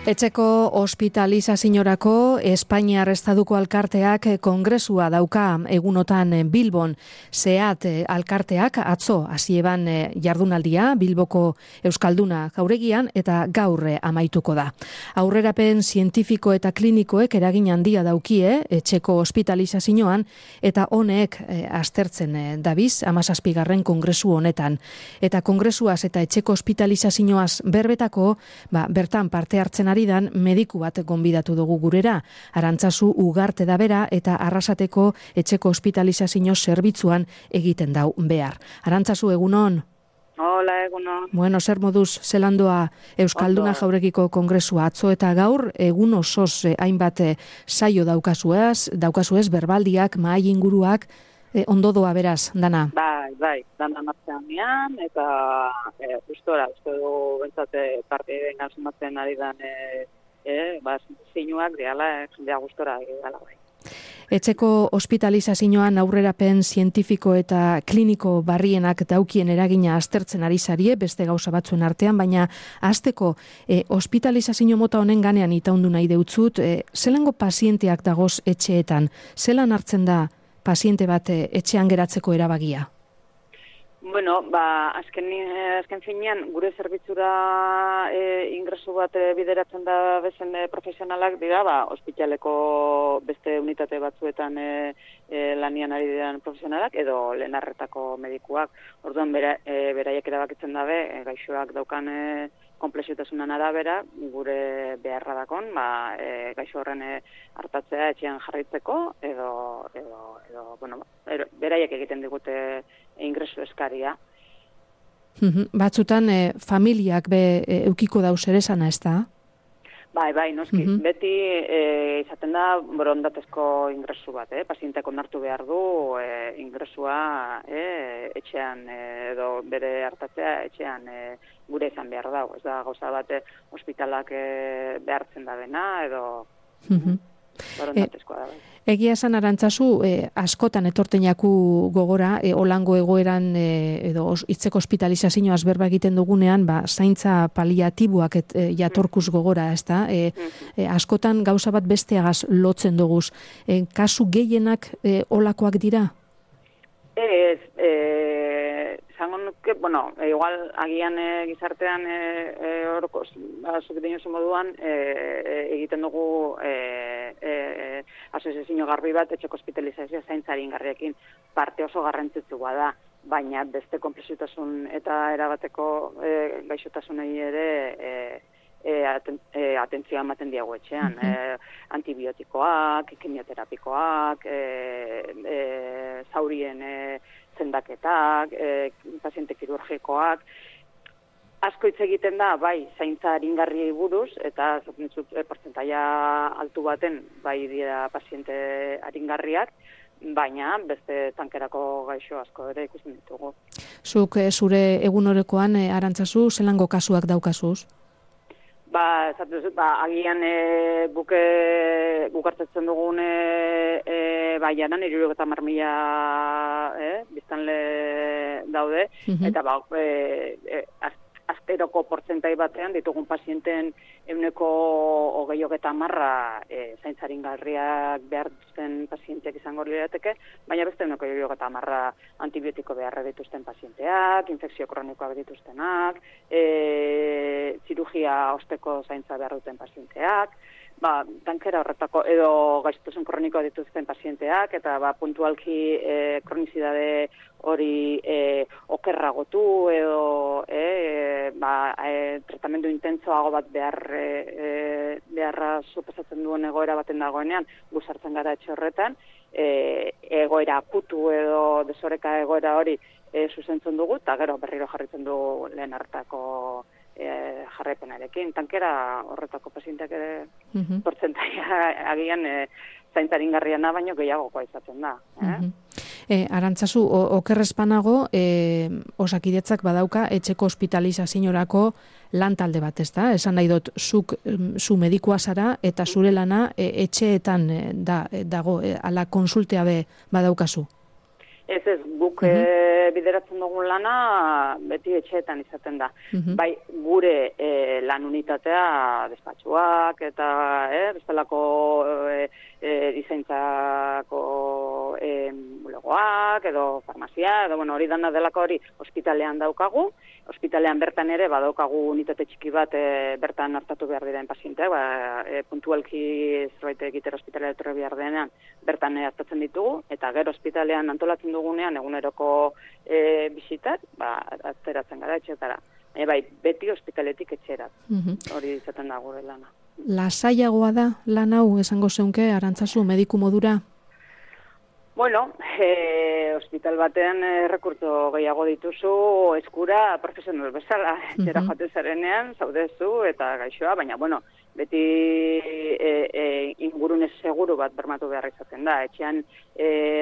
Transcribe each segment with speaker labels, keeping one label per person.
Speaker 1: Etxeko ospitalizaziorako Espainiar Estaduko alkarteak kongresua dauka egunotan Bilbon. Seat alkarteak atzo hasi eban jardunaldia Bilboko Euskalduna jauregian eta gaur amaituko da. Aurrerapen zientifiko eta klinikoek eragin handia daukie etxeko ospitalizazioan eta honek aztertzen dabiz 17. kongresu honetan. Eta kongresuaz eta etxeko ospitalizazioaz berbetako, bertan parte hartzen dan mediku bat gonbidatu dugu gurera. Arantzazu Ugarte da bera eta Arrasateko etxeko ospitalizazio zerbitzuan egiten dau behar. Arantzazu, egunon?
Speaker 2: Hola, egunon.
Speaker 1: Bueno, zer moduz zelandoa Euskalduna jauregiko kongresua atzo eta gaur egun osoz hainbat saio daukazuez, berbaldiak, mahai inguruak, ondo doa beraz, dana?
Speaker 2: Bai, dana martzean nian, eta uste du bentsate parte gasumatzen ari dan zinuak diala, jendea gustora egala bai.
Speaker 1: Etxeko ospitalizazioan aurrerapen zientifiko eta kliniko barrienak daukien eragina aztertzen ari zarie, beste gauza batzuen artean, baina hasteko ospitalizazio mota honen ganean itaundu nahi deutzut, zelango pazienteak dagoz etxeetan, zelan hartzen da paziente bat etxean geratzeko erabagia?
Speaker 2: Bueno, azken finean, gure zerbitzura ingresu bat bideratzen da bezen profesionalak dira, ospitaleko beste unitate batzuetan lanian ari diren profesionalak, edo lehen arretako medikuak. Orduan, beraiek erabakitzen dabe, gaixoak daukan komplexutasunan arabera, gure beharra dakon, gaixo horren hartatzea etxean jarraitzeko, edo beraiek egiten digute ingresu eskaria.
Speaker 1: Batzutan familiak eukiko dauz ere zana, ez da?
Speaker 2: Bai, noski. Beti izaten da borondatezko ingresu bat, pazienteak onartu behar du ingresua etxean edo bere hartatzea etxean gure izan behar dago. Ez da gauza bat ospitalak behartzen da bena edo borondatezkoa da bai.
Speaker 1: Egia esan Arantzazu, askotan etorten jaku gogora, olango egoeran edo hitzeko ospitalizazioaz berba egiten dugunean, zaintza paliatiboak jatorkuz gogora, ez da? Askotan gauza bat besteagaz lotzen duguz. Kasu gehienak olakoak dira?
Speaker 2: Zango nuke, igual agian gizartean zuk dinozu moduan egiten dugu asoziazio garbi bat etxeko ospitalizazioa zaintzari ingarriekin parte oso garrantzitsua da, baina beste konplexutasun eta erabateko gaixotasunei ere atentzioa ematen diago etxean. Antibiotikoak, kimioterapikoak, zaurien zendaketak, paziente kirurgikoak, asko hitz egiten da, zaintza aringarriei buruz, eta portzentaia altu baten, dira paziente aringarriak, baina beste tankerako gaixo asko ere ikusten ditugu.
Speaker 1: Zuk zure egunorekoan, Arantzazu, zelango kasuak daukazuz?
Speaker 2: Agian bukartetzen dugun janan 70.000 biztanle daude, eta azteroko portzentai batean ditugun pazienten 20% zaintzaringarriak behar duzten pazienteak izango lirateke, baina beste 20% antibiotiko beharra dituzten pazienteak, infekzio kronikoak dituztenak, zirugia osteko zaintza behar duten pazienteak, tankera horretako edo gaixotasun kronikoa dituzten pazienteak, eta puntualki kronizidade hori okerragotu edo tratamendu intentsoago bat beharra suposatzen duen egoera baten dagoenean, guzartzen gara etxe horretan, egoera akutu edo desoreka egoera hori zuzentzen dugu, eta gero berriro jarritzen dugu lehen hartako jarraipenarekin. Tankera horretako pazienteak ere portzentaia agian zaintzaringarriana baino gehiagokoa izaten da.
Speaker 1: Arantzazu, okerrezpanago, Osakidetzak badauka etxeko ospitalizaziorako lan talde bat, ez da? Esan nahi dut, zu medikua zara eta zure lana etxeetan dago, ala konsultea badaukazu.
Speaker 2: Ez, guk bideratzen dugun lana beti etxeetan izaten da. Bai, gure lan unitatea despatxuak eta bestelako dizaintzako bulegoak edo farmazia, edo hori dana delako hori ospitalean daukagu. Ospitalean bertan ere badaukagu unitate txiki bat bertan hartatu behar diren pazienteak, puntualki zerbait egitera ospitalea etorri behar denean bertan hartatzen ditugu, eta gero ospitalean antolatzen dugunean eguneroko bisitak, atzeratzen gara etxetara. Bai, beti ospitaletik etxerat. Hori izaten da gure lana.
Speaker 1: Lasaiagoa da lan hau esango zeunke, Arantzazu, mediku modura?
Speaker 2: Bueno, hospital batean rekurtso gehiago dituzu eskura profesional bezala, etxera joaten zarenean, zaudezu eta gaixoa, baina, beti ingurune seguru bat bermatu behar izaten da. Etxean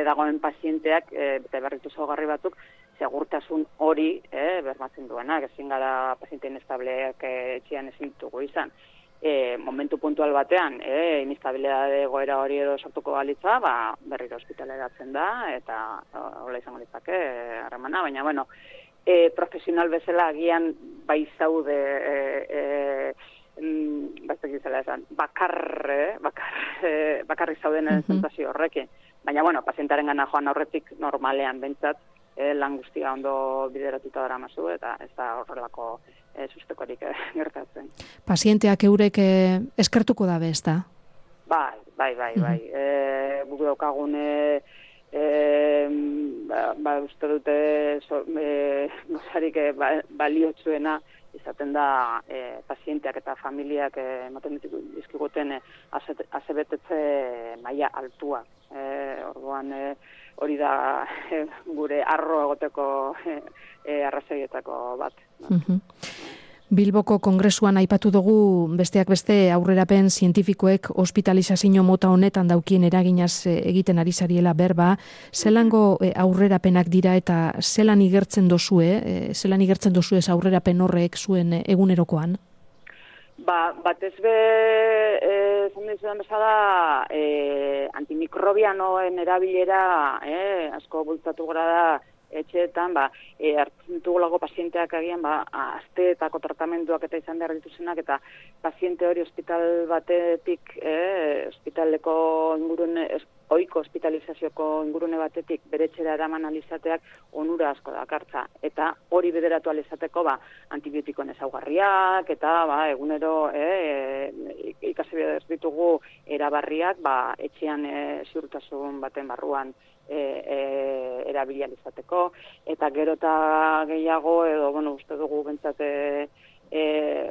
Speaker 2: dagoen pazienteak, eta berritu zaugarri batzuk, segurtasun hori bermatzen duena, ezin gara paziente inestableak etxean ezin ditugu izan. Momentu puntual batean, inestabilidade egoera hori edo sortuko balitza, berriro ospitaleratzen da, eta hola izango litzake harremana, baina, profesional bezala agian bai zaude, baiztek izela esan, bakarrik zauden sensazio horrekin. Baina, pazientaren gana joan aurretik normalean bentsat, lan guztia ondo bideratuta dara mazu, eta ez da horrelako sustekorik gertatzen.
Speaker 1: Pazienteak eurek eskertuko dabe, ez da?
Speaker 2: Bai. Guk daukagun uste dute gozarik baliotsuena izaten da pazienteak eta familiak ematen dizkiguten asebetetze maila altua. Orduan hori da gure arro egoteko arrazoietako bat.
Speaker 1: Bilboko kongresuan aipatu dugu besteak beste aurrerapen zientifikoek hospitalizazio mota honetan daukien eraginaz egiten ari zariela berba, zelango aurrerapenak dira eta zelan igertzen dozue aurrerapen horrek zuen egunerokoan?
Speaker 2: Batez be, esan dizudan bezala, antimikrobianoen erabilera asko bultzatu gara da etxeetan, hartzen dugulako pazienteak agian, asteetako tratamenduak eta izan behar dituzenak, eta paziente hori ospital batetik, ospitaleko ingurune, ohiko hospitalizazioko ingurune batetik bere etxera eraman alizateak onura asko dakartza. Eta hori bideratu alizateko antibiotikoen ezaugarriak, eta egunero ikasi behar ditugu erabarriak etxean ziurtasun baten barruan erabilializateko, eta gero eta gehiago, edo, uste dugu bentsate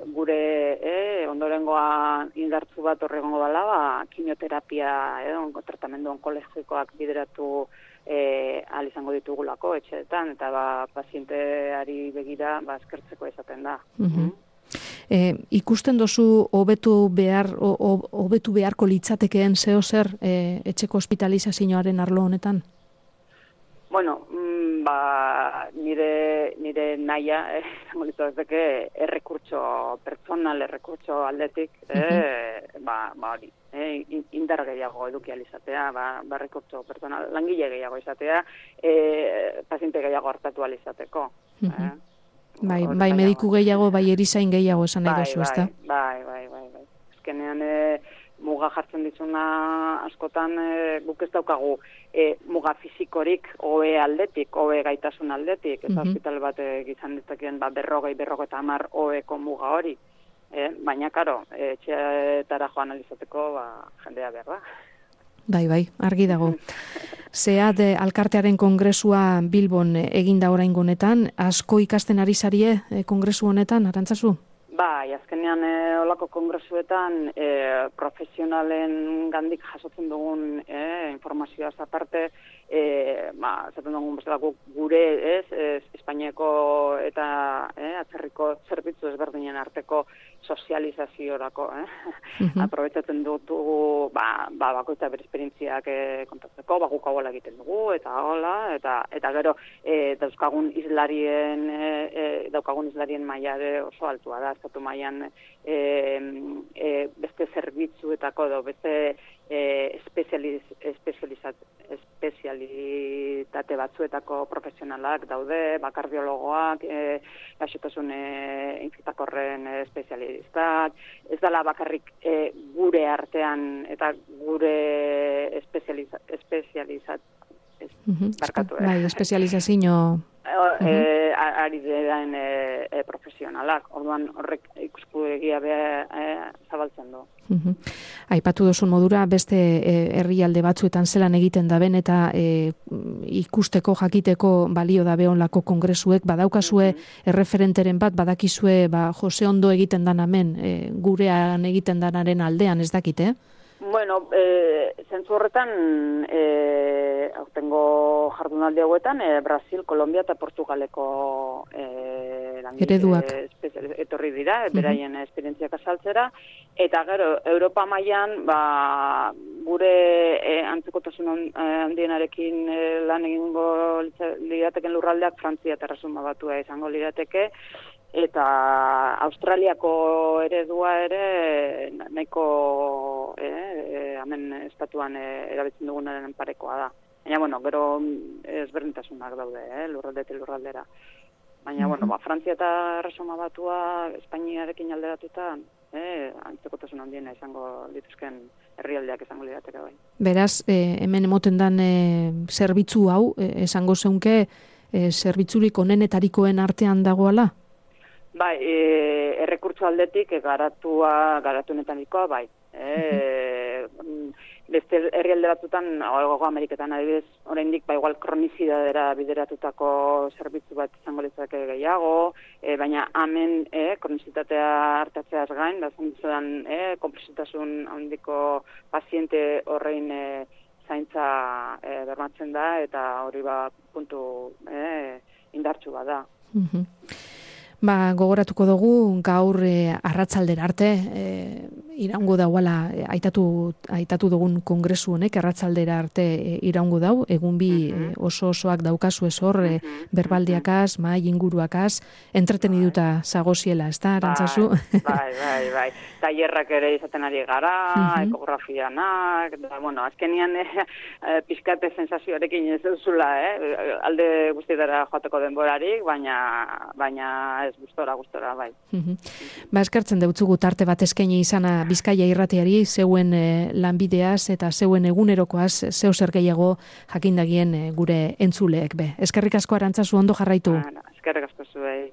Speaker 2: gure ondorengoa indartzu bat horregongo dela, kimioterapia, tratamendu onkologikoak bideratu ahal izango ditugulako etxeetan, eta pazienteari begira eskertzeko izaten da.
Speaker 1: Ikusten dozu hobetu beharko litzatekeen zeo zer etxeko hospitalizazioaren arlo honetan?
Speaker 2: Nire nahia, zango litzateke, errekurtso pertsonal, errekurtso aldetik, hori, indar gehiago eduki alizatea, errekurtso pertsonal, langile gehiago izatea, paziente gehiago hartatu alizateko.
Speaker 1: Bai, mediku gehiago, bai erizain gehiago esan nahi dozu, ezta?
Speaker 2: Bai. Ezkenean muga jartzen dizuna askotan guk ez daukagu muga fizikorik hobe aldetik, hobe gaitasun aldetik, eta hospital bat izan ditzakien 50-50 hobeko muga hori. Baina, karo, etxeetara joan alizateko jendea behar da.
Speaker 1: Bai, argi dago. Zeat alkartearen kongresua Bilbon eginda oraingo honetan, asko ikasten ari zarie kongresu honetan, Arantzazu?
Speaker 2: Azkenean olako kongresuetan profesionalen gandik jasotzen dugun informazioaz aparte, zaten dugun bestelako gure Espainiako eta atzerriko zerbitzu ezberdinen arteko sozializaziorako. Aprobetsatzen dugu bakoitza bere esperientziak kontatzeko, guk hau egiten dugu, eta hola, eta gero daukagun islarien maila oso altua da, estatu mailan beste zerbitzuetako edo beste espezialitate batzuetako profesionalak daude, kardiologoak, gaixotasun infektakorren espezialistak, ez dela bakarrik gure artean eta gure
Speaker 1: espezializazio
Speaker 2: ari diren profesionalak. Orduan horrek ikuspegia zabaltzen du.
Speaker 1: Aipatu duzun modura, beste herrialde batzuetan zelan egiten daben eta ikusteko, jakiteko balio dabe onlako kongresuek, badaukazue erreferenteren bat, badakizue Jose Ondo egiten dan hemen, gurean egiten danaren aldean, ez dakite?
Speaker 2: Bueno, zentzu horretan, aurtengo jardunaldi hauetan, Brasil, Kolombia eta Portugaleko
Speaker 1: ereduak
Speaker 2: etorri dira, beraien esperientziak azaltzera, eta gero, Europa mailan, gure antzekotasun handienarekin lan egingo lirateken lurraldeak Frantzia eta Erresuma Batua izango lirateke, eta Australiako eredua ere nahiko hemen estatuan erabiltzen dugunaren parekoa da. Baina, bueno, gero ezberdintasunak daude, lurraldetik lurraldera. Baina, bueno, Frantzia eta Erresuma Batua Espainiarekin alderatuta antzekotasun handiena izango lituzken herrialdeak izango lirateke bai.
Speaker 1: Beraz, hemen emoten dan zerbitzu hau, esango zeunke zerbitzurik onenetarikoen artean dagoala?
Speaker 2: Bai, errekurtso aldetik garatunetanikoa, bai. Beste herrialde batzutan, Hego Ameriketan adibidez, oraindik igual kronizidadera bideratutako zerbitzu bat izango litzake gehiago, baina hemen kronizitatea hartatzeaz gain, bazantzudan konpresitasun handiko paziente horrein zaintza bermatzen da, eta hori puntu indartsu bat da.
Speaker 1: Gogoratuko dugu gaur arratsaldera arte iraungo dauala aitatu dugun kongresu honek arratsaldera arte iraungo dau, egun bi osoak daukazu hor berbaldiakaz, mahai inguruakaz, entreteniduta zagoziela, ezta, Arantzazu?
Speaker 2: Bai. Tailerrak ere izaten ari gara, ekografianak, bueno, azkenian pizkate sensazioarekin ez duzula, alde guztietara joateko denborarik, baina ez gustora, bai.
Speaker 1: Eskertzen deutzugu tarte bat eskaini izana Bizkaia irratiari, zeuen lanbideaz eta zeuen egunerokoaz, zeu zer gehiago jakindagien gure entzuleek be. Eskerrik asko Arantzazu, ondo jarraitu.
Speaker 2: Eskerrik asko zuei.